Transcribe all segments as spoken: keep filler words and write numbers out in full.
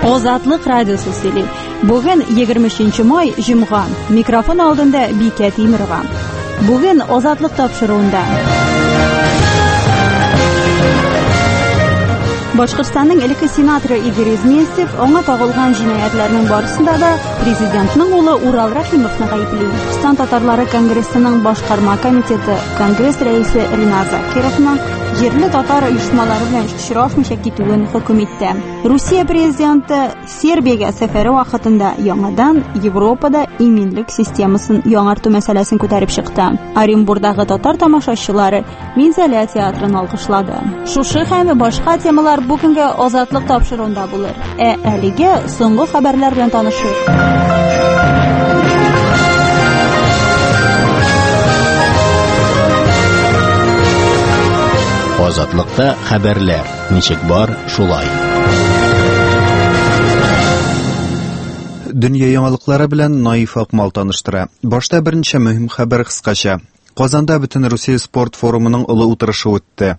Азатлык радиосы сөйли. Бүген егерме өченче май, җомга. Микрофон алдында Бикә Тимирова. Бүген Азатлык тапшыруында. Башкортстанның элекке сенаторы Игорь Изместьев аңа тагылган җинаятьләрнең барысында да президентның улы Урал Рәхимовны гаепли. Башкортстан татарлары конгрессының башкарма комитеты конгресс рәисе Ринат Закировның җирле татар оешмалары белән очрашмыйча китүен хөкем итте. Русия президенты Сербиягә сәфәре вакытында яңадан Европада иминлек системасын яңарту мәсьәләсен күтәреп чыкты. Оренбурдагы татар тамашачылары Минзәлә театрын алкышлады. Шушы һәм башка темалар бүгенге Азатлык тапшыруында булыр. Ә әлегә соңгы хәбәрләр белән танышыйк. Азатлыкта хәбәрләр ничек бар, шулай. Дөнья яңалыклары белән Наиф Акмал таныштыра. Башта берничә мөһим хәбәр кыскача. Казанда бөтен Русия спорт форумының олы утырышы үтте.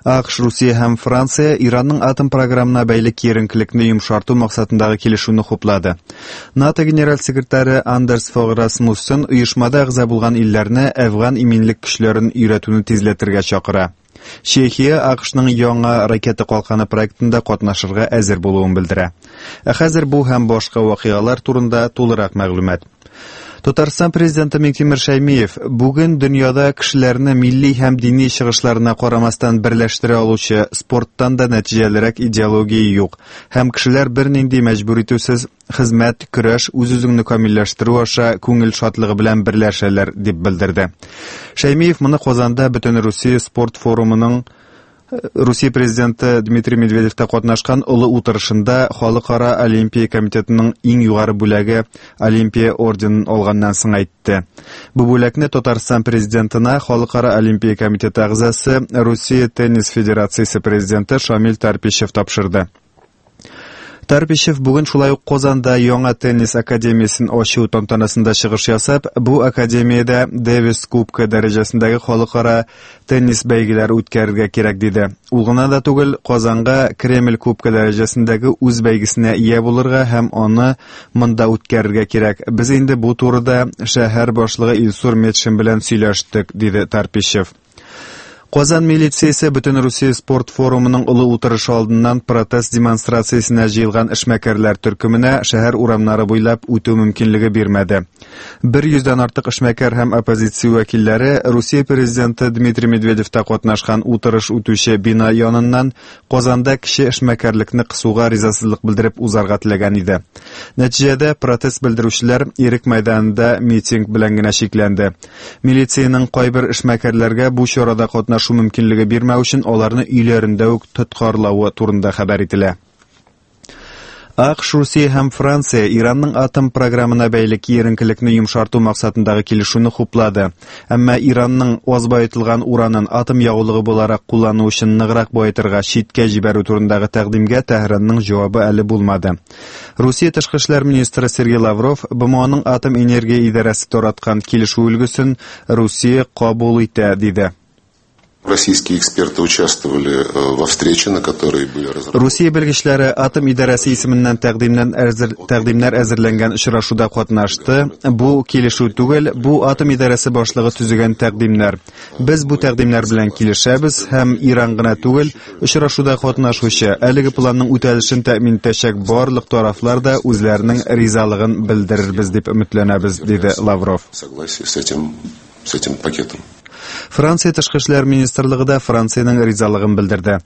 АКШ, Русия һәм Франция Иранның атом програмына бәйле киеренкелекне йомшарту максатындагы килешүне хуплады. НАТО генераль секретаре Андерс Фог Расмуссен оешмада әгъза булган илләрне Әфган иминлек көчләрен өйрәтүне тизләтергә чакыра. Чехия АКШның яңа ракета калканы проектында катнашырга әзер булуын белдерә. Ә хәзер бу һәм башка вакыйгалар турында тулырак мәгълүмат. Татарстан президенты Миңтимер Шәймиев бүген дөньяда кешеләрне милли һәм дини чыгышларына карамастан берләштерә алучы спорттан да нәтиҗәлерәк идеология юк һәм кешеләр бернинди мәҗбүр итүсез хезмәт, көрәш, үз-үзеңне камилләштерү аша күңел шатлыгы белән берләшәләр дип белдерде. Шәймиев моны Казанда бөтен Русия спорт форумының Русия президенты Дмитрий Медведев та катнашкан олы утырышында Халыкара Олимпия комитетының иң югары бүләге Олимпия орденын алганнан соң әйтте. Бу бүләкне Татарстан президентына Халыкара Олимпия комитеты әгъзасы Русия теннис федерациясе президенты Шамил Тарпищев тапшырды. Тарпищев бүген шулай ук Казанда яңа теннис академиясен ачу тантанасында чыгыш ясап, бу академиядә Дэвис Кубкы дәрәҗәсендәге халыкара теннис бәйгеләре үткәрергә кирәк диде. Ул гына да түгел, Казанга Кремль Кубкы дәрәҗәсендәге үз бәйгесенә ия булырга һәм аны монда үткәрергә кирәк. Без инде бу турыда шәһәр башлыгы Илсур Метшин белән сөйләштек, диде Тарпищев. Казан милициясе бөтен Русия спорт форумының олы утырышы алдыннан протест демонстрациясенә җыелган эшмәкәрләр төркеменә шәһәр урамнары буйлап үтү мөмкинлеге бирмәде. Бер йөздән артык эшмәкәр һәм оппозиция вәкилләре Русия президенты Дмитрий Медведевта катнашкан утырыш үтүче бина яныннан Казанда кече эшмәкәрлекне кысуга ризасызлык белдереп узарга теләгән иде. Нәтиҗәдә протест белдерүчеләр Ирек мәйданында митинг белән генә чикләнде. Милициянең кайбер эшмәкәрләргә бу чарада катнашу мөмкинлеге бирмәү өчен аларны өйләрендә үк тоткарлавы турында хәбәр ителә. АКШ, Русия һәм Франция Иранның атом програмына бәйле киеренкелекне йомшарту максатындагы килешүне хуплады. Әмма Иранның аз баетылган уранын атом ягулыгы буларак куллану өчен ныграк баетырга читкә җибәрү турындагы тәкъдимгә Тәһранның җавабы әле булмады. Русия тышкы эшләр министры Сергей Лавров БМОның атом энергия идарәсе тараткан килешү өлгесен Русия кабул итә диде. Российские эксперты участвовали во встрече, на которой были разработаны. Русия белгечләре атом идарәсе исеменнән тәкъдимнән әзер, тәкъдимнәр әзерләнгән очрашуда катнашты. Бу килешү түгел, бу атом идарәсе башлыгы төзегән тәкъдимнәр. Без бу тәкъдимнәр белән килешәбез һәм Иран гына түгел, очрашуда катнашучы әлеге планның үтәлешен тәэмин итәчәк барлык тарафлар да үзләренең ризалыгын белдерербез дип өметләнәбез, диде Лавров. Согласие с этим, с этим пакетом. Франция тышкы эшләр министрлыгы да Франциянең ризалыгын белдерде.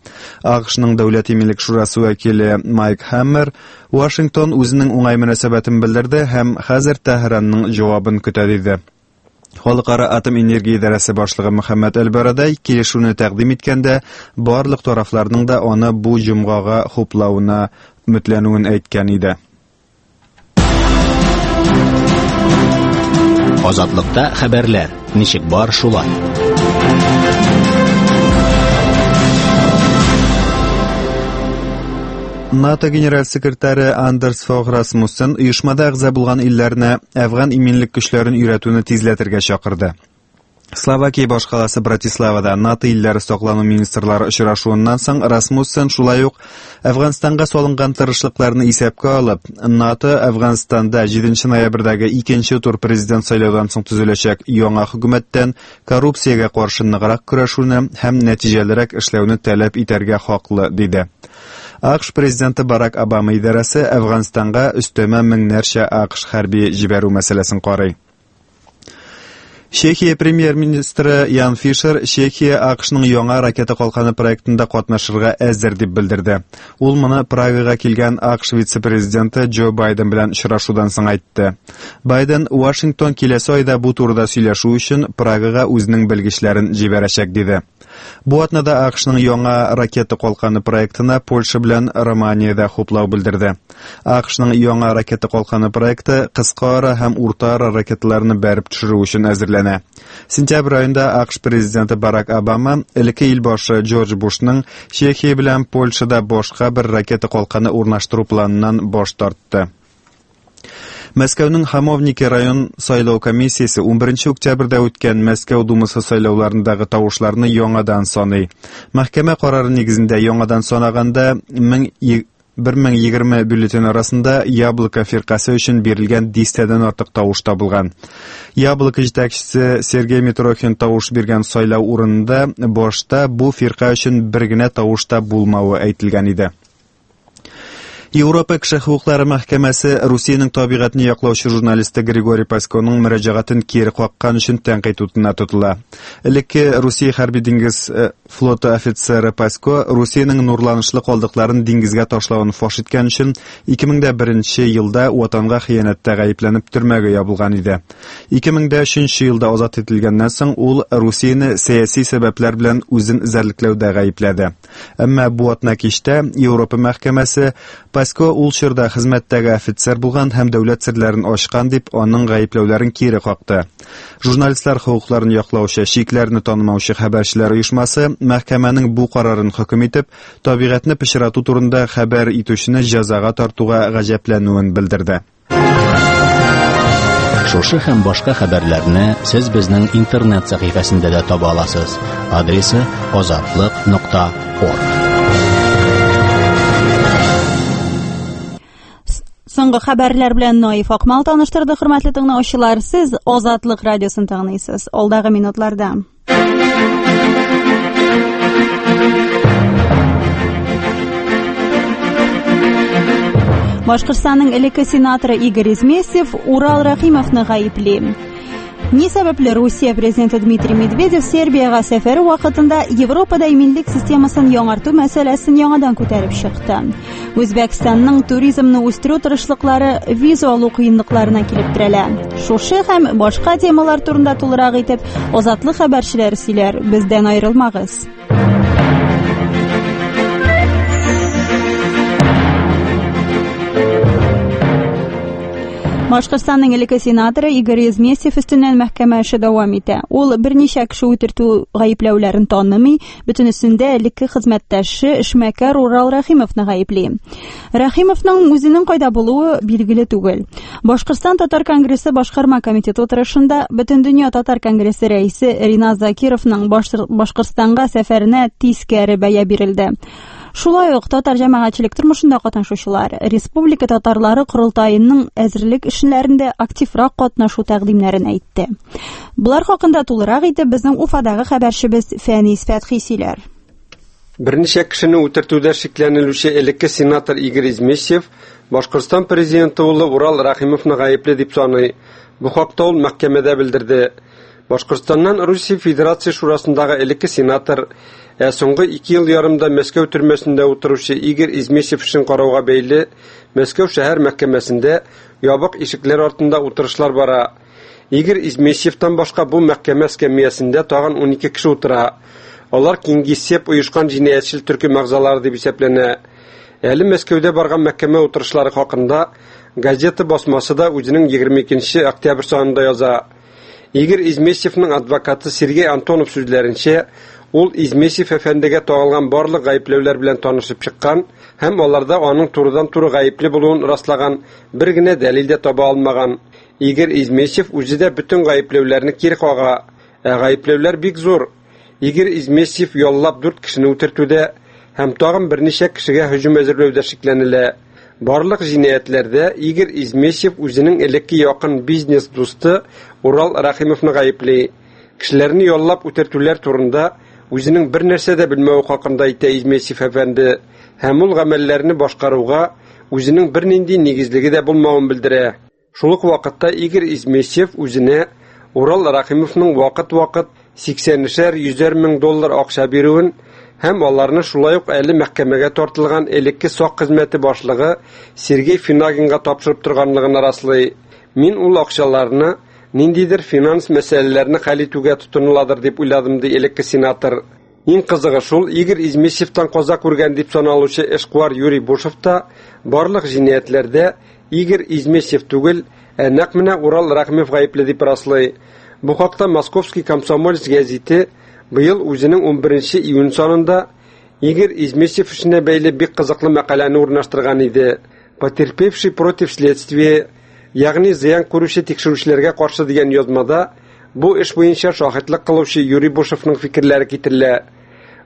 АКШның Дәүләт иминлек шурасы вәкиле Майк Хаммер Вашингтон үзенең уңай мөнәсәбәтен белдерде һәм хәзер Тәһранның җавабын көтә диде. Халыкара атом энергия идарәсе башлыгы Мөхәммәд Әл-Барадай килешүне тәкъдим иткәндә барлык тарафларның да аны бу җомгага хуплавына өметләнүен әйткән иде. Азатлыкта хәбәрләр ничек бар, шулай. НАТО генераль секретаре Андерс Фог Расмуссен оешмада әгъза булган илләрне Әфган иминлек көчләрен өйрәтүне тизләтергә чакырды. Словакия башкаласы Братиславада НАТО илләре саклану министрлары очрашуыннан соң Расмуссен шулай ук Әфганстанга салынган тырышлыкларны исәпкә алып, НАТО Әфганстанда җиденче ноябрьдәге икенче тур президент сайлаудан соң төзеләчәк яңа хөкүмәттән коррупциягә каршы ныграк көрәшүне һәм нәтиҗәлерәк эшләүне таләп итәргә хаклы, диде. АКШ президенты Барак Обама идарәсе Әфганстанга өстәмә меңнәрчә АКШ хәрби җибәрү мәсьәләсен карый. Чехия премьер-министры Ян Фишер Чехия АКШның яңа ракета калканы проектында катнашырга әзер дип белдерде. Ул моны Прагага килгән АКШ вице-президенты Джо Байден белән очрашудан соң әйтте. Байден Вашингтон киләсе айда бу турыда сөйләшү өчен Прагага үзенең белгечләрен җибәрәчәк диде. Бу атнада АКШның яңа ракета калканы проектына Польша белән Романиядә хуплау белдерде. АКШның яңа ракета калканы проекты кыска ара һәм урта ара ракеталарны бәреп төшерү өчен әзерләнә. Сентябрь аенда АКШ президенты Барак Обама элекке ил башы Джордж Бушның Чехия белән Польшада башка бер ракета калканы урнаштыру планыннан баш тартты. Мәскәүнең Хамовники район сайлау комиссиясе унберенче октябрьдә үткән Мәскәү Думасы сайлауларындагы тавышларны яңадан саный. Мәхкәмә карары нигезендә яңадан санаганда бер мең егерме бюллетень арасында Яблоко фиркасе өчен бирелгән дистәдән артык тавыш табылган. Яблоко җитәкчесе Сергей Митрохин тавыш биргән сайлау урынында башта бу фирка өчен бер генә тавыш та булмавы әйтелгән иде. Европа кеше хокуклары мәхкәмәсе Русиянең табигатьне яклаучы журналисты Григорий Паськоның мөрәҗәгатен кире каккан өчен тәнкыйть утына тотыла. Элекке Русия хәрби диңгез флоты офицеры Пасько Русиянең нурланышлы калдыкларын диңгезгә ташлавын фаш иткән өчен ике мең дә беренче елда ватанга хыянәттә гаепләнеп төрмәгә ябылган иде. Ике мең дә өченче елда азат ителгәннән соң ул Русияне сәяси сәбәпләр белән үзен эзәрлекләүдә гаепләде. Әмма бу атна кичтә Европа мәхкәмәсе Пасько ул чорда хезмәттәге офицер булган һәм дәүләт серләрен ачкан дип аның гаепләүләрен кире какты. Журналистлар хокукларын яклаучы, шикләрне танымаучы хәбәрчеләр оешмасы мәхкәмәнең бу карарын хөкем итеп, табигатьне пычрату турында хәбәр итүчене җәзага тартуга гаҗәпләнүен белдерде. Шушы һәм башка хәбәрләрне сез безнең интернет сәхифәсендә дә таба аласыз. Адресы азатлык нокта орг. Соңгы хәбәрләр белән Наиф Акмал таныштырды. Хөрмәтле тыңлаучылар, сез Азатлык радиосын тыңлыйсыз. Алдагы минутларда Башкортстанның элекке сенаторы Игорь Изместьев Урал Рәхимовны гаепли. Ни сәбәпле Русия президенты Дмитрий Медведев Сербиягә сәфәре вакытында Европада иминлек системасын яңарту мәсьәләсен яңадан күтәреп чыкты. Үзбәкстанның туризмны үстерү тырышлыклары виза алу кыенлыкларына килеп терәлә. Шушы һәм башка темалар турында тулырак итеп Азатлык хәбәрчеләре сөйләр. Бездән аерылмагыз. Башкортстанның элекке сенаторы Игорь Изместьев өстеннән мәхкәмә эше дәвам итә. Ул берничә кеше үтертү гаепләүләрен танымый, бөтенесендә элекке хезмәттәше эшмәкәр Урал Рәхимовны гаепли. Рәхимовның үзенең кайда булуы билгеле түгел. Башкортстан Татар конгрессы башкарма комитеты утырышында Бөтендөнья Татар конгрессы рәисе Ринат Закировның Башкортстанга сәфәренә тискәре бәя бирелде. Шулай ук татар җәмәгатьчелек тормышында катнашучылар республика татарлары корылтаеның әзерлек эшләрендә активрак катнашу тәкъдимнәрен әйтте. Булар хакында тулырак итеп безнең Уфадагы хәбәрчебез Фәнис Фәтхи сөйләр. Берничә кешене үтертүдә шикләнелүче элекке сенатор Игорь Изместьев Башкортстан президенты улы Урал Рәхимовны гаепле дип саный. Бу хакта ул мәхкәмәдә белдерде. Башкортстаннан Русия Федерация Шурасындагы элекке сенатор, ә соңгы ике ел ярымда Мәскәү төрмәсендә утыручы Игорь Изместьев эшен карауга бәйле Мәскәү шәһәр мәхкәмәсендә ябык ишекләр артында утырышлар бара. Игорь Изместьевтан башка бу мәхкәмә эскәмиясендә тагын унике кеше утыра. Алар Кингисепп оешкан җинаятьчел төркем әгъзалары дип исәпләнә. Әле Мәскәүдә барган мәхкәмә утырышлары хакында газета басмасы да үзенең егерме икенче октябрь санында яза. Игорь Изместьевның адвокаты Сергей Антонов сүзләренчә, ул Изместьев әфәндегә тагылган барлык гаепләүләр белән танышып чыккан һәм аларда аның турыдан-туры гаепле булуын раслаган бер генә дәлил дә таба алмаган. Игорь Изместьев үзе дә бөтен гаепләүләрне кире кага. Ә гаепләүләр бик зур. Игорь Изместьев яллап дүрт кешене үтертүдә һәм тагын берничә кешегә һөҗүм әзерләүдә шикләнелә. Барлык җинаятьләрдә Игорь Изместьев үзенең элекке якын бизнес дусты Урал Рәхимовны гаепли. Кешеләрне яллап үтертүләр турында үзенең бер нәрсә дә белмәве хакында әйтә Изместьев әфәнде һәм ул гамәлләрне башкаруга үзенең бернинди нигезлеге дә булмавын белдерә. Шул ук вакытта Игорь Изместьев үзенә Урал Рәхимовның вакыт-вакыт сиксәнешәр йөзәр мең доллар акча бирүен һәм аларны шулай ук әле мәхкәмәгә тартылган элекке сак хезмәте башлыгы Сергей Финагинга тапшырып торганлыгын раслый. Мин ул акчаларны ниндидер финанс мәсьәләләрен хәл итүгә тотыныладыр дип уйладым, ди элекке сенатор. Иң кызыгы шул, Игорь Изместьевтан каза күргән дип саналучы эшкуар Юрий Бушев та барлык җинаятьләрдә Игорь Изместьев түгел, ә нәкъ менә Урал Рәхимов гаепле дип раслый. Бу хакта Московский комсомолец гәзите быел үзенең унберенче июнь санында Игорь Изместьев эшенә бәйле бик кызыклы мәкаләне урнаштырган иде. Потерпевший против следствия, ягъни зыян күрүче тикшерүчеләргә каршы дигән язмада бу эш буенча шаһитлык кылучы Юрий Бушевның фикерләре китерелә.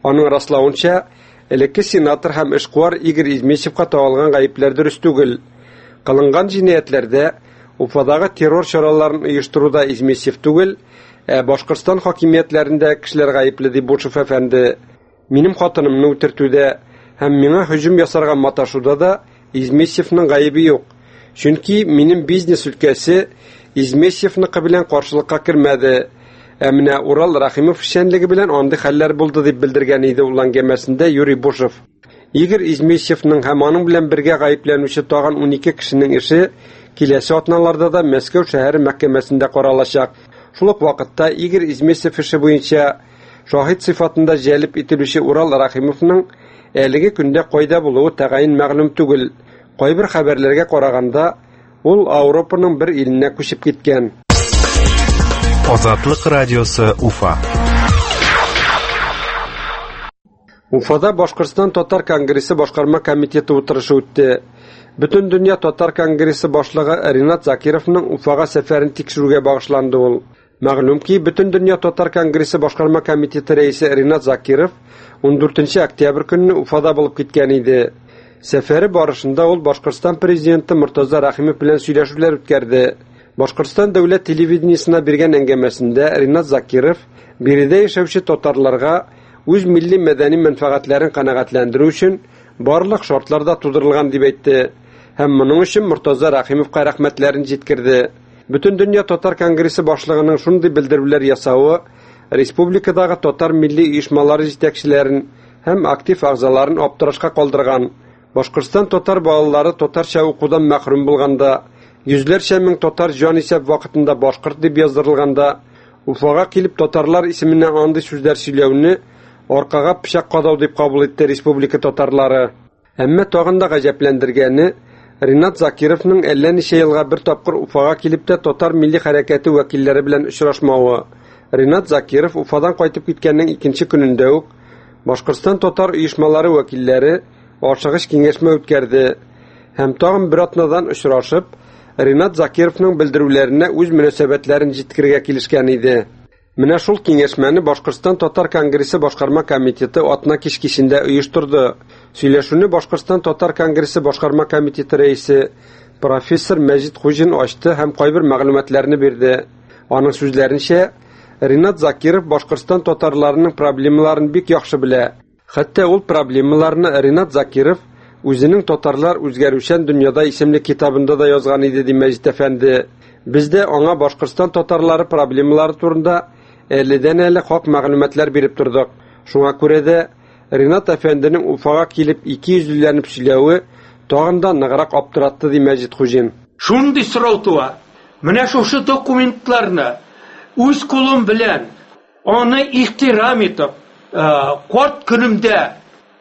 Аның раславынча, элекке сенатор һәм эшкуар Игорь Изместьевка тагылган гаепләр дөрес түгел. Кылынган җинаятьләрдә Уфадагы террор чараларын оештыруда Изместьев түгел, ә Башкортстан хакимиятләрендә кешеләр гаепле, ди Бушев әфәнде. Минем хатынымны үтертүдә һәм миңа һөҗүм ясарга маташуда да Изместьевның гаебе юк. Чөнки минем бизнес өлкәсе Изместьевныкы белән каршылыкка кермәде. Ә менә Урал Рәхимов эшчәнлеге белән андый хәлләр булды дип белдергән иде ул әңгәмәсендә Юрий Бушев. Игорь Изместьевның һәм аның белән бергә гаепләнүче тагын унике кешенең эше киләсе атналарда да Мәскәү шәһәре мәхкәмәсендә каралачак. Шул ук вакытта Игорь Изместьев эше буенча шаһит сыйфатында җәлеп ителүче Урал Рәхимовның әлеге көндә кайда булуы тәгаен мәгълүм түгел. Кайбер хәбәрләргә караганда, ул Европаның бер иленә күчеп киткән. Азатлык радиосы Уфа. Уфада Башкортстан Татар конгрессы башкарма комитеты утырышы үтте. Бөтен дөнья Татар конгрессы башлыгы Ринат Закировның Уфага сәфәрен тикшерүгә багышланды ул. Мәгълүм ки, Бөтен дөнья Татар конгрессы башкарма комитеты рәисе Ринат Закиров ундүртенче октябрь көнне Уфада булып киткән иде. Сәфәре барышында ул Башкортстан президенты Мортаза Рәхимов белән сөйләшүләр үткәрде. Башкортстан дәүләт телевидениесына биргән әңгәмәсендә Ринат Закиров биредә яшәүче татарларга үз милли мәдәни мәнфәгатьләрен канәгатьләндерү өчен барлык шартлар да тудырылган дип әйтте һәм моның өчен Мортаза Рәхимовка рәхмәтләрен җиткерде. Бөтен дөнья Татар конгрессы башлыгының шундый белдерүләр ясавы республикадагы татар милли оешмалары җитәкчеләрен һәм актив әгъзаларын аптырашка калдырган. Башкортстан татар балалары татарча укудан мәхрүм булганда, йөзләрчә мең татар җанисәп вакытында башкорт дип яздырылганда, Уфага килеп татарлар исеменнән андый сүзләр сөйләүне аркага пычак кадау дип кабул итте республика татарлары. Әмма тагын да гаҗәпләндергәне Ринат Закировның әллә ничә елга бер тапкыр Уфага килеп тә татар милли хәрәкәте вәкилләре белән очрашмавы. Ринат Закиров Уфадан кайтып киткәннең икенче көнендә үк Башкортстан татар оешмалары вәкилләре ашыгыч киңәшмә үткәрде һәм тагын бер атнадан очрашып Ринат Закировның белдерүләренә үз мөнәсәбәтләрен җиткерергә килешкән иде. Менә шул киңәшмәне Башкортстан Татар конгрессы башкарма комитеты атна кич кичендә оештырды. Сөйләшүне Башкортстан Татар конгрессы башкарма комитеты рәисе профессор Мәҗит Хуҗин ачты һәм кайбер мәгълүматларны бирде. Аның сүзләренчә, Ринат Закиров Башкортстан татарларының проблемаларын бик яхшы белә. Хәтта ул проблемаларны Ринат Закиров үзенең Татарлар үзгәрүчән дөньяда исемле китабында да язган иде, ди Мәҗит әфәнде. Без дә аңа Башкортстан татарлары проблемалары турында әледән-әле хак мәгълүматлар биреп тордык. Шуңа күрә дә Ринат әфәнденең Уфага килеп ике йөзлеләнеп сөйләве тагын да ныграк аптыратты, ди Мәҗит Хуҗин. Шундый сорау туа. Менә шушы документларны үз кулым белән аны ихтирам итеп, карт көнемдә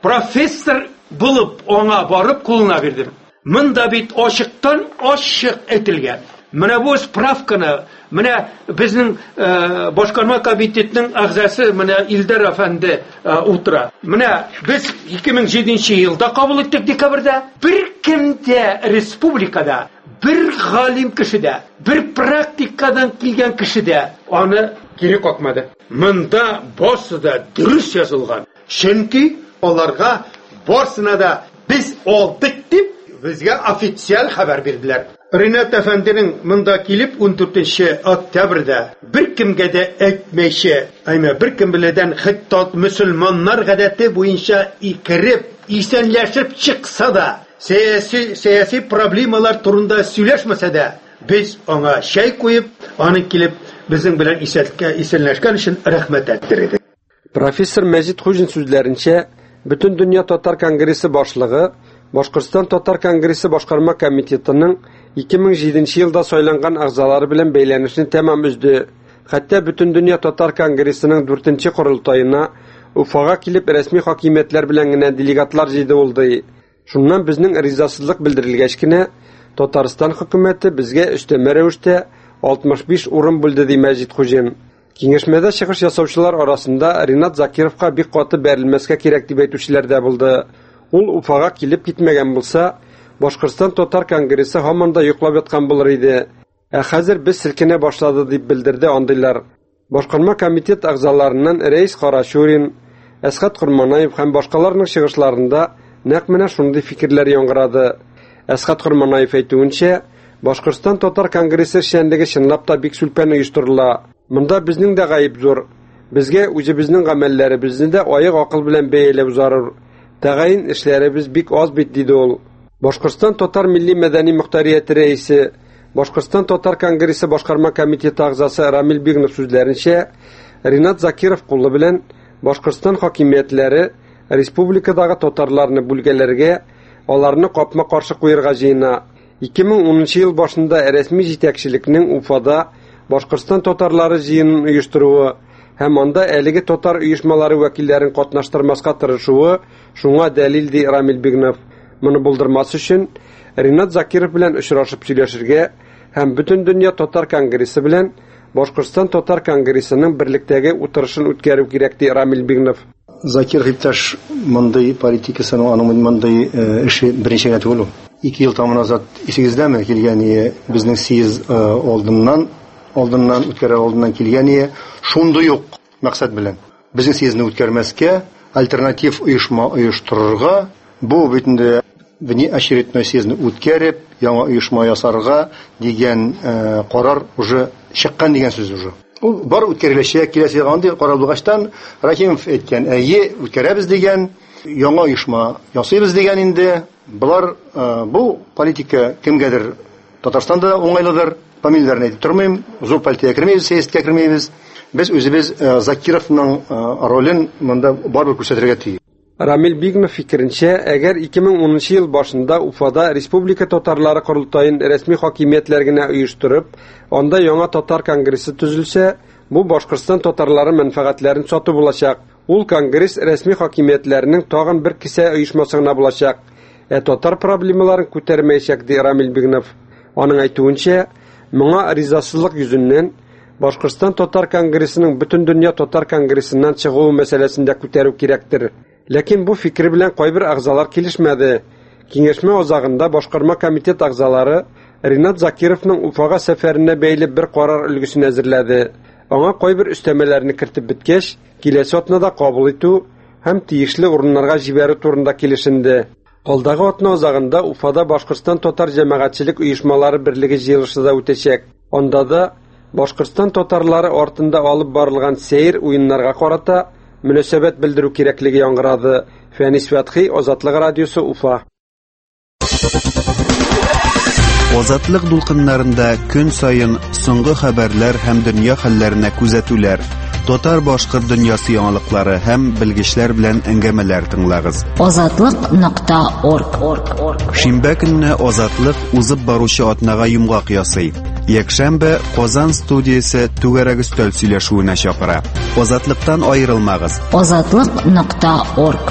профессор булып аңа барып кулына бирдем. Монда бит ачыктан ачык әйтелгән. Менә бу справканы, менә безнең башкарма комитетының әгъзасы менә Илдар әфәнде утыра. Менә без ике мең җиденче елда кабул иттек декабрьдә. Бер кемдә республикада, бер галим кешедә, бер практикадан килгән кешедә аны кире какмады. Монда барсы да дөрес язылган. Чөнки аларга барсына да без алдык дип безгә официаль хәбәр бирделәр. Ринат әфәнденең монда килеп ун дүртенче октябрьдә бер кемгә дә әйтмәйчә, әмма бер кем белән хәтта мөселманнар гадәте буенча икереп, исәнләшеп чыкса да, сәяси сәяси проблемалар турында сөйләшмәсә дә, без аңа чәй куеп, аны килеп безнең белән исәнләшкән исәнләшкән өчен рәхмәт әйттер иде. Профессор Мәҗит Хуҗин сүзләренчә, Бөтендөнья татар конгрессы башлыгы Башкортстан татар конгрессы башкарма комитетының ике мең җиденче елда сайланган әгъзалары белән бәйләнешне тәмам өзде. Хәтта Бөтендөнья татар конгрессының дүртенче корылтаена Уфага килеп рәсми хакимиятләр белән генә делегатлар җыйды булды. Шуннан безнең ризасызлык белдерелгәч кенә Татарстан хөкүмәте безгә өстәмә рәвештә алтмыш биш урын бүлде, ди Мәҗит Хуҗин. Киңәшмәдә чыгыш ясаучылар арасында Ринат Закировка бик каты бәрелмәскә кирәк дип әйтүчеләр дә булды. Ул Уфага килеп китмәгән булса, Башкортстан татар конгрессы һаман да йоклап яткан булыр иде. Ә хәзер без селкенә башлады дип белдерде андыйлар. Башкарма комитет әгъзаларыннан Рәис Карачурин, Әсхәт Корманаев һәм башкаларның чыгышларында нәкъ менә шундый фикерләр яңгырады. Әсхәт Корманаев әйтүенчә, Башкортстан татар конгрессы эшчәнлеге чынлап та бик сүлпән оештырыла. Монда безнең дә гаеп зур. Безгә үзебезнең гамәлләребезне дә аяк акыл белән бәяләү зарур. Тәгаен эшләребез бик аз бит, диде ул. Башкортстан татар милли мәдәни мөхтәрияте рәисе, Башкортстан татар конгрессы башкарма комитеты әгъзасы Рамил Бигнов сүзләренчә, Ринат Закиров кулы белән Башкортстан хакимиятләре республикадагы татарларны бүлгәләргә, аларны капма-каршы куярга җыена. ике мең унынчы ел башында рәсми җитәкчелекнең Уфада Башкортстан татарлары җыенын оештыруы һәм анда әлеге татар оешмалары вәкилләрен катнаштырмаска тырышуы шуңа дәлил, ди Рамил Бигнов. Моны булдырмас өчен Ринат Закиров белән очрашып сөйләшергә һәм Бөтендөнья татар конгрессы белән Башкортстан татар конгрессының берлектәге утырышын үткәрү кирәк, ди Рамил Бигнов. Закиров иптәш мондый политикасының аның мондый эше беренче генә түгел ул. Ике ел тамы назад исегездәме килгән безнең съезд алдыннан алдыннан үткәрер алдыннан килгән шундый ук максат белән безнең съездны үткәрмәскә, альтернатив оешма оештырырга, бу бит инде внеочередной съездны үткәреп, яңа оешма ясарга дигән карар уже чыккан дигән сүз уже. Ул бар үткәреләчәк, киләсе елга андый карар булгачтан Рахимов әйткән, әйе, үткәрәбез дигән, яңа оешма ясыйбыз дигән инде. Булар бу политика кемгәдер Татарстанда уңайлыдыр, фамилияләрен әйтеп тормыйм, зур партиягә кермәйбез, сәясәткә кермәйбез. Без үзебез Закировның ролен монда барыбер күрсәтергә тиеш. Рамил Бигнов фикеренчә, әгәр ике мең унынчы ел башында Уфада республика татарлары корылтаен рәсми хакимиятләр генә оештырып, анда яңа татар конгрессы төзелсә, бу Башкортстан татарлары мәнфәгатьләрен сату булачак. Ул конгресс рәсми хакимиятләрнең тагын бер кесә оешмасы гына булачак. Ә татар проблемаларын күтәрмәячәк, ди Рамил Бигнов. Аның әйтүенчә, моңа ризасызлык йөзеннән Башкортстан татар конгрессының Бөтендөнья татар конгрессыннан чыгуы мәсьәләсен дә күтәрү кирәктер. Ләкин бу фикер белән кайбер әгъзалар килешмәде. Киңәшмә азагында башкарма комитет әгъзалары Ринат Закировның Уфага сәфәренә бәйле бер карар өлгесен әзерләде. Аңа кайбер өстәмәләрне кертеп беткәч, киләсе атнада кабул итү һәм тиешле урыннарга җибәрү турында килешенде. Алдагы атна азагында Уфада Башкортстан татар җәмәгатьчелек оешмалары берлеге җыелышы да үтәчәк. Анда да Башкортстан татарлары артында алып барылган сәер уеннарга карата мөнәсәбәт белдерү кирәклеге яңгырады. Фәнис Фәтхи, Азатлык радиосы, Уфа. Азатлык дулкыннарында көн саен соңгы хәбәрләр һәм дөнья хәлләренә күзәтүләр, татар-башкорт дөньясы яңалыклары һәм белгечләр белән әңгәмәләр тыңлагыз. Азатлык нокта орг. Шимбә көнне Азатлык узып баручы атнага йомгак ясый. Якшәмбе Казан студиясе түгәрәк өстәл сөйләшүенә чакыра. Азатлыктан аерылмагыз. Азатлык нокта орг.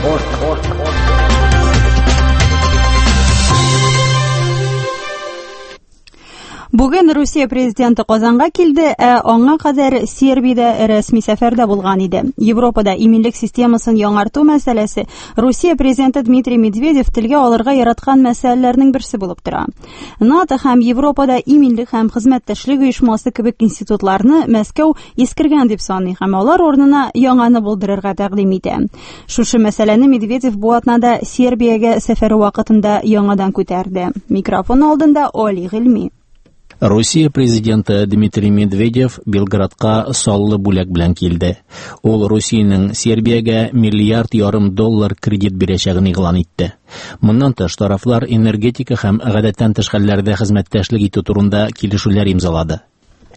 Бүген Русия президенты Казанга килде, ә аңа кадәр Сербиядә рәсми сәфәрдә булган иде. Европада иминлек системасын яңарту мәсьәләсе Русия президенты Дмитрий Медведев телгә алырга яраткан мәсьәләләрнең берсе булып тора. НАТО һәм Европада иминлек һәм хезмәттәшлек оешмасы кебек институтларны Мәскәү искергән дип саный һәм алар урынына яңаны булдырырга тәкъдим итә. Шушы мәсьәләне Медведев бу атнада Сербиягә сәфәре вакытында яңадан күтәрде. Микрофон алдында Оли Гыйльми. Русия президенты Дмитрий Медведев Белградка саллы бүләк белән килде. Ул Русиянең Сербиягә миллиард ярым доллар кредит бирәчәген игълан итте. Моннан тыш тарафлар энергетика һәм гадәттән тыш хәлләрдә хезмәттәшлек итү турында килешүләр имзалады.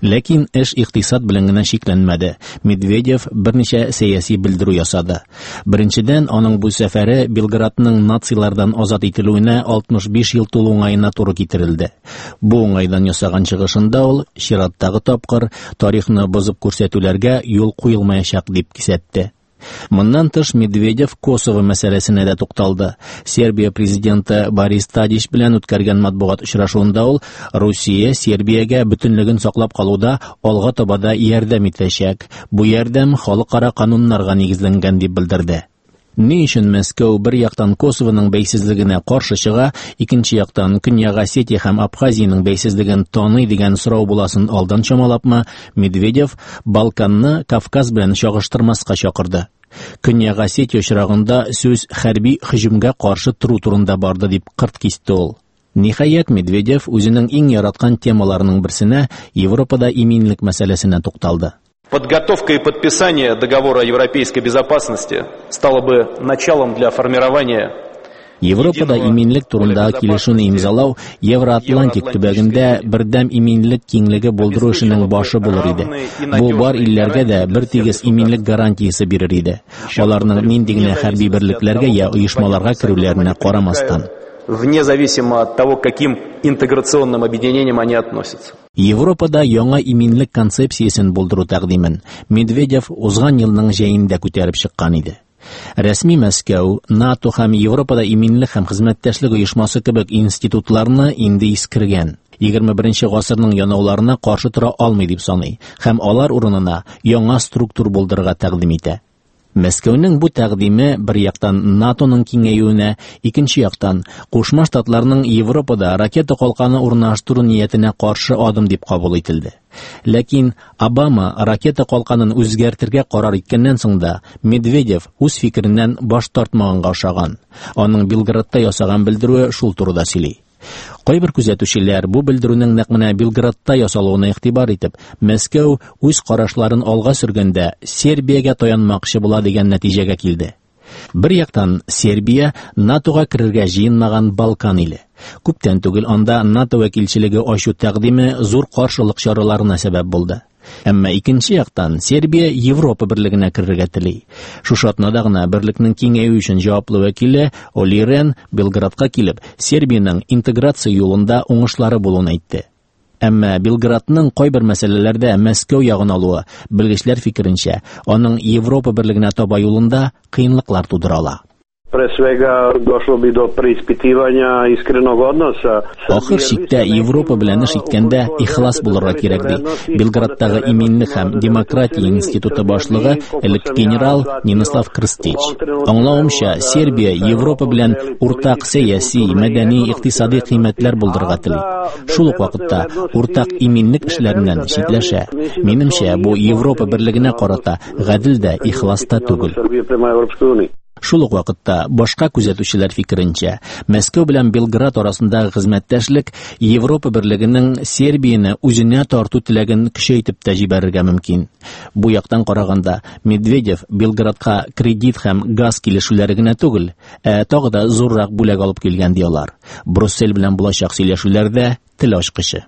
Ләкин эш икътисад белән генә чикләнмәде. Медведев берничә сәяси белдерү ясады. Беренчедән, аның бу сәфәре Белградның нацилардан азат ителүенә алтмыш биш ел тулу уңаена туры китерелде. Бу уңайдан ясаган чыгышында ул чираттагы тапкыр тарихны бозып күрсәтүләргә юл куелмаячак дип кисәтте. Моннан тыш Медведев Косово мәсьәләсенә дә тукталды. Сербия президенты Борис Тадич белән үткәргән матбугат очрашуында ул Русия Сербиягә бөтенлеген саклап калуда алга таба да ярдәм итәчәк. Бу ярдәм халыкара кануннарга нигезләнгән дип белдерде. Ни өчен Мәскәү бер яктан Косовоның бәйсезлегенә каршы чыга, икенче яктан Көньяк Осетия һәм Абхазиянең бәйсезлеген таный дигән сорау буласын алдан чамалапмы, Медведев Балканны Кавказ белән чагыштырмаска чакырды. Көньяк Осетия очрагында сүз хәрби һөҗүмгә каршы тору турында барды дип кырт кисте ул. Ниһаять, Медведев үзенең иң яраткан темаларының берсенә Европада иминлек мәсьәләсенә тукталды. Подготовка и подписание договора о европейской безопасности стало бы началом для формирования Европада иминлек турындагы килешүне имзалау Евроатлантик төбәгендә бердәм иминлек киңлеге булдыру эшенең башы булыр иде. Бу бар илләргә дә бер тигез иминлек гарантиясе бирер иде. Аларның нинди генә хәрби берлекләргә я оешмаларга керүләренә карамастан. Вне зависимо от того, к каким интеграционным объединениям они относятся. Европада яңа иминлек концепциясен булдыру тәкъдимен Медведев узган елның җәендә күтәреп чыккан иде. Рәсми Мәскәү, НАТО һәм Европада иминлек һәм хезмәттәшлек оешмасы кебек институтларны инде искергән. Егерме беренче гасырның янауларына каршы тора алмый дип саный һәм алар урынына яңа структур булдырырга тәкъдим итә. Мәскәүнең бу тәкъдиме бер яктан НАТОның киңәюенә, икенче яктан Кушма Штатларның Европада ракета калканы урнаштыру ниятенә каршы адым дип кабул ителде. Ләкин Обама ракета калканын үзгәртергә карар иткәннән соң да Медведев үз фикереннән баш тартмаганга охшаган. Аның Белградта ясаган белдерүе шул турыда сөйли. Кайбер күзәтүчеләр бу белдерүнең нәкъ менә Белградта ясалуына игътибар итеп, Мәскәү үз карашларын алга сөргәндә Сербиягә таянмакчы була дигән нәтиҗәгә килде. Бер яктан Сербия НАТОга керергә җыенмаган Балкан иле. Күптән түгел анда НАТО вәкилчелеге ачу тәкъдиме зур каршылык чараларына сәбәп булды. Әмма икенче яктан Сербия Европа берлегенә керергә тели. Шушы атнада гына берлекнең киңәюе өчен җаваплы вәкиле Оли Рен Белградка килеп, Сербиянең интеграция юлында уңышлары булуын әйтте. Әмма Белградның кайбер мәсьәләләрдә Мәскәү ягын алуы, белгечләр фикеренчә, аның Европа берлегенә таба юлында кыенлыклар тудыра ала. Pre svega došlo bi do preispitivanja iskrenog odnosa. Ахыр чиктә Европа белән эш иткәндә ихлас булырга кирәк ди. Белградтагы иминлек һәм демократия институты башлыгы элек генерал Нинислав Крстич. Аңлавымча, Сербия Европа белән уртак сәяси, мәдәни, икътисади кыйммәтләр булдырырга тели. Шул ук вакытта уртак иминлек эшләреннән читләшә. Минемчә, бу Европа берлегенә карата гадел дә, ихлас та түгел. Шул ук вакытта башка күзәтүчеләр фикеренчә, Мәскәү белән Белград арасындагы хезмәттәшлек Европа берлегенең Сербияне үзенә тарту теләген көчәйтеп тә җибәрергә мөмкин. Бу яктан караганда, Медведев Белградка кредит һәм газ килешүләре генә түгел, ә тагы да зуррак бүләк алып килгән ди алар. Брюссель белән булачак сөйләшүләрдә тел ачкычы.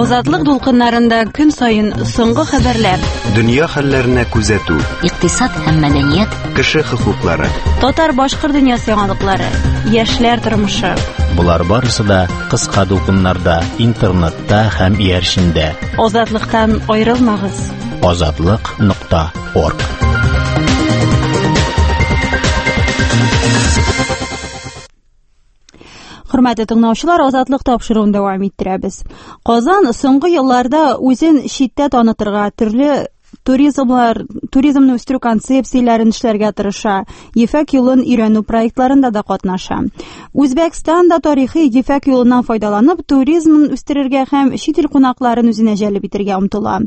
Азатлык дулкыннарында көн саен соңгы хәбәрләр, дөнья хәлләренә күзәтү, икътисад һәм мәдәният, кеше хокуклары, татар-башкорт дөньясы яңалыклары, яшьләр тормышы. Болар барысы да кыска дулкыннарда, интернетта һәм иярчендә. Азатлыктан аерылмагыз. Азатлык нокта орг. Хөрмәтле тыңлаучылар, Азатлык тапшыруын дәвам иттерәбез. Казан соңгы елларда үзен читтә танытырга, төрле туризмлар, туризмны үстерү концепцияләрен эшләргә тырыша, Ефәк юлын өйрәнү проектларында да катнаша. Үзбәкстан да тарихи Ефәк юлыннан файдаланып, туризмын үстерергә һәм чит ил кунакларын үзенә җәлеп итәргә омтыла.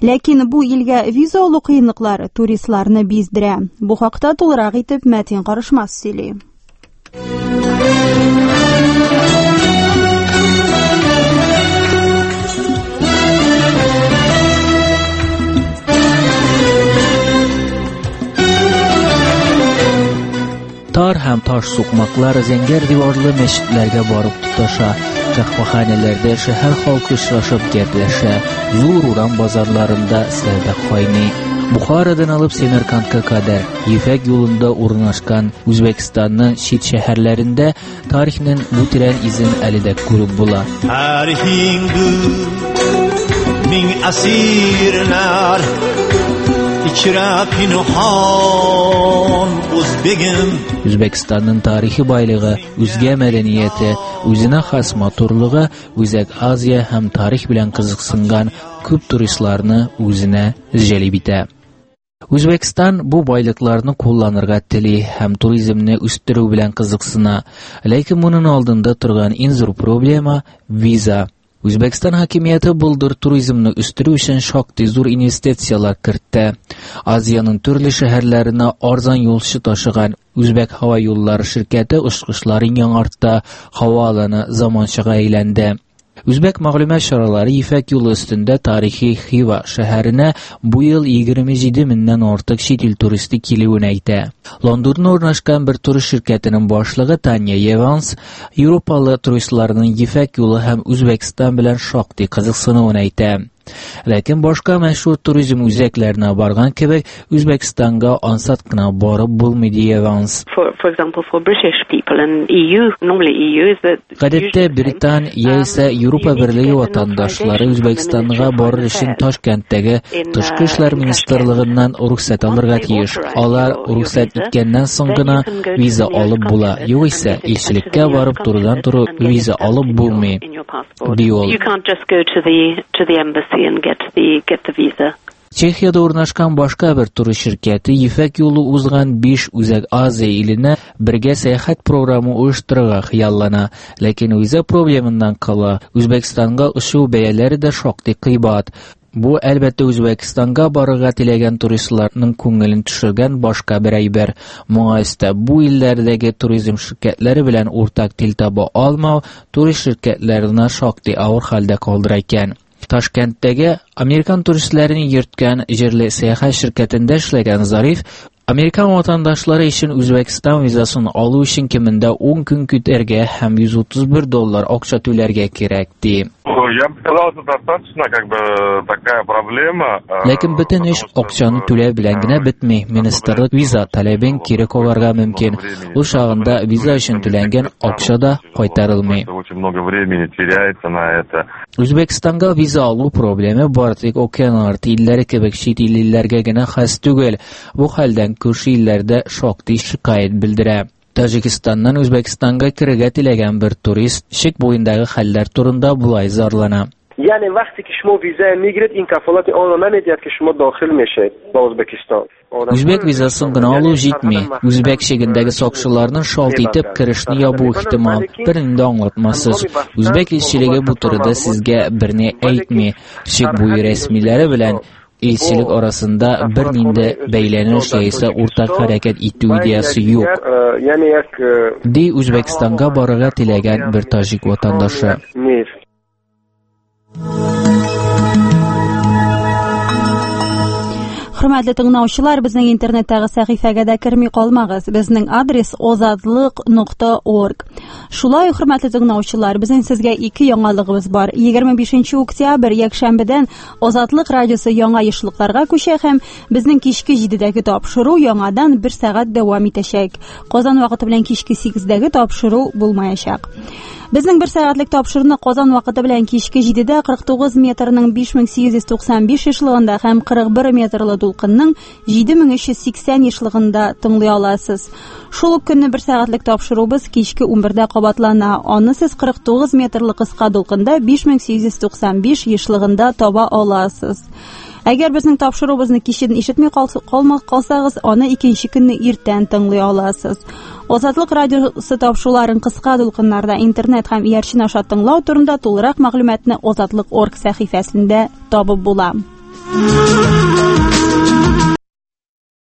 Ләкин бу илгә виза алу кыенлыклары туристларны биздерә. Бу хакта тулырак итеп Мәтин Карышмас сөйли. Тар һәм таш сукмаклар зәңгәр диварлы мәчетләргә барып тоташа. Каһвәханәләрдә шәһәр халкы очрашып гәпләшә, зур урам базарларында сәүдә кайный. Бухарадан алып Семеркантка кадәр Ефәк юлында урнашкан Үзбәкстанның чит шәһәрләрендә тарихның бу тирән изен әле дә күреп була. Мең асирлар ichra pinhon o'zbegim. Үзбәкстанның тарихи байлыгы, үзгә мәдәнияте, үзенә хас матурлыгы Үзәк Азия һәм тарих белән кызыксынган күп туристларны үзенә җәлеп итә. Үзбәкстан бу байлыкларны кулланырга тели һәм туризмны үстерү белән кызыксына. Ләкин моның алдында торган иң зур проблема виза. Үзбәкстан хакимияте былтыр туризмны үстерү өчен шактый зур инвестицияләр кертте. Азиянең төрле шәһәрләренә арзан юлчы ташыган Үзбәк һава юллары ширкәте очкычларын яңартты, һава аланы заманчага әйләнде. Үзбәк мәгълүмат чаралары Ефәк юлы өстендә тарихи Хива шәһәренә бу ел егерме җиде меңнән артык чит ил туристы килүен әйтә. Лондонда урнашкан бер турист ширкәтенең башлыгы Таня Еванс Европалы туристларның Ефәк юлы һәм Үзбәкстан белән шактый кызыксынуын әйтә. Ләкин башка мәшһүр туризм үзәкләренә барган кебек Үзбәкстанга ансат кына барып булмый, ди Еванс. Гадәттә Британ яисә Европа Берлеге ватандашлары Үзбәкстанга барыр өчен Ташкенттәге Тышкы эшләр министрлыгыннан рөхсәт алырга тиеш. Алар рөхсәт иткәннән соң гына виза алып була. Югыйсә илчелеккә барып турыдан-туры виза алып булмый, ди ул. And get the get the visa. Чехиядә урнашкан башка бер турист ширкәте Ефәк юлы узган биш Үзәк Азия иленә бергә сәяхәт программы оештырырга хыяллана. Ләкин виза проблемыннан кала Үзбәкстанга очу бәяләре дә шактый кыйбат. Бу әлбәттә Үзбәкстанга барырга теләгән туристларның күңелен төшергән башка бер әйбер. Моңа өстәп бу илләрдәге туризм ширкәтләре белән уртак тел таба алмау турист ширкәтләренә шактый авыр хәлдә калдыра икән. Ташкенттәге Американ туристләрен йөрткән җирле сәяхәт ширкәтендә эшләгән Зариф Американ ватандашлары өчен Үзбәкстан визасын алу өчен кимендә ун көн көтәргә һәм йөз утыз бер доллар акча түләргә кирәк, ди. Я бы сказал, это достаточно как бы такая проблема. Ләкин бөтен эш акчаны түләү белән генә бетми. Министрлык виза таләбен кире кагарга мөмкин. Ул чагында виза өчен түләнгән акча да кайтарылмый. Очень много времени теряется на это. Үзбәкстанга виза алу проблемы бары тик океан арты илләре кебек чит илләргә генә хас түгел. Бу хәлдән күрше илләрдә шактый шикаять белдерә. Таҗикстаннан Үзбәкстанга керергә теләгән бер турист чик буендагы хәлләр турында болай зарлана. Яъни вақте ки шумо виза мегиред, ин кафолати онро намедиҳад ки шумо дохил мешавед ба Ӯзбекистон. Үзбәк визасын гына алу җитми. Үзбәк чигендәге сакчыларның шалт итеп керешне ябу ихтимал. Берни дә аңлатмасыз. Үзбәк илчелеге бу турыда сезгә берни әйтми. Чик буе рәсмиләре белән илчелек арасында бернинди бәйләнеш яисә уртак хәрәкәт итү идеясы юк, ди Үзбәкстанга барырга теләгән бер таҗик ватандашы. Хөрмәтле тыңлаучылар, безнең интернеттагы сәхифәгә дә керми калмагыз. Безнең адрес озатлык нокта орг. Шулай ук, хөрмәтле тыңлаучылар, безнең сезгә ике яңалыгыбыз бар. егерме бишенче октябрь якшәмбедән Озатлык радиосы яңа ешлыкларга күчә һәм безнең кичке җидедәге тапшыру яңадан бер сәгать дәвам итәчәк. Казан вакыты белән кичке сигездәге тапшыру булмаячак. Безнең бер сәгатьлек тапшыруны Казан вакыты белән кичке җидедә кырык тугыз метрның биш мең сигез йөз туксан биш ешлыгында һәм кырык бер метрлы дулкынның җиде мең өч йөз сиксән ешлыгында тыңлый аласыз. Шул ук көнне бер сәгатьлек тапшыруыбыз кичке унбердә кабатлана. Аны сез кырык тугыз метрлы кыска дулкында биш мең сигез йөз туксан биш ешлыгында таба аласыз. Әгәр безнең тапшыруыбызны кичен ишетми калмак калсагыз, аны икенче көнне иртән тыңлый аласыз. Азатлык радиосы тапшыруларын кыска дулкыннарда интернет һәм иярчен аша тыңлау турында тулырак мәгълүматны Азатлык орг сәхифәсендә табып була.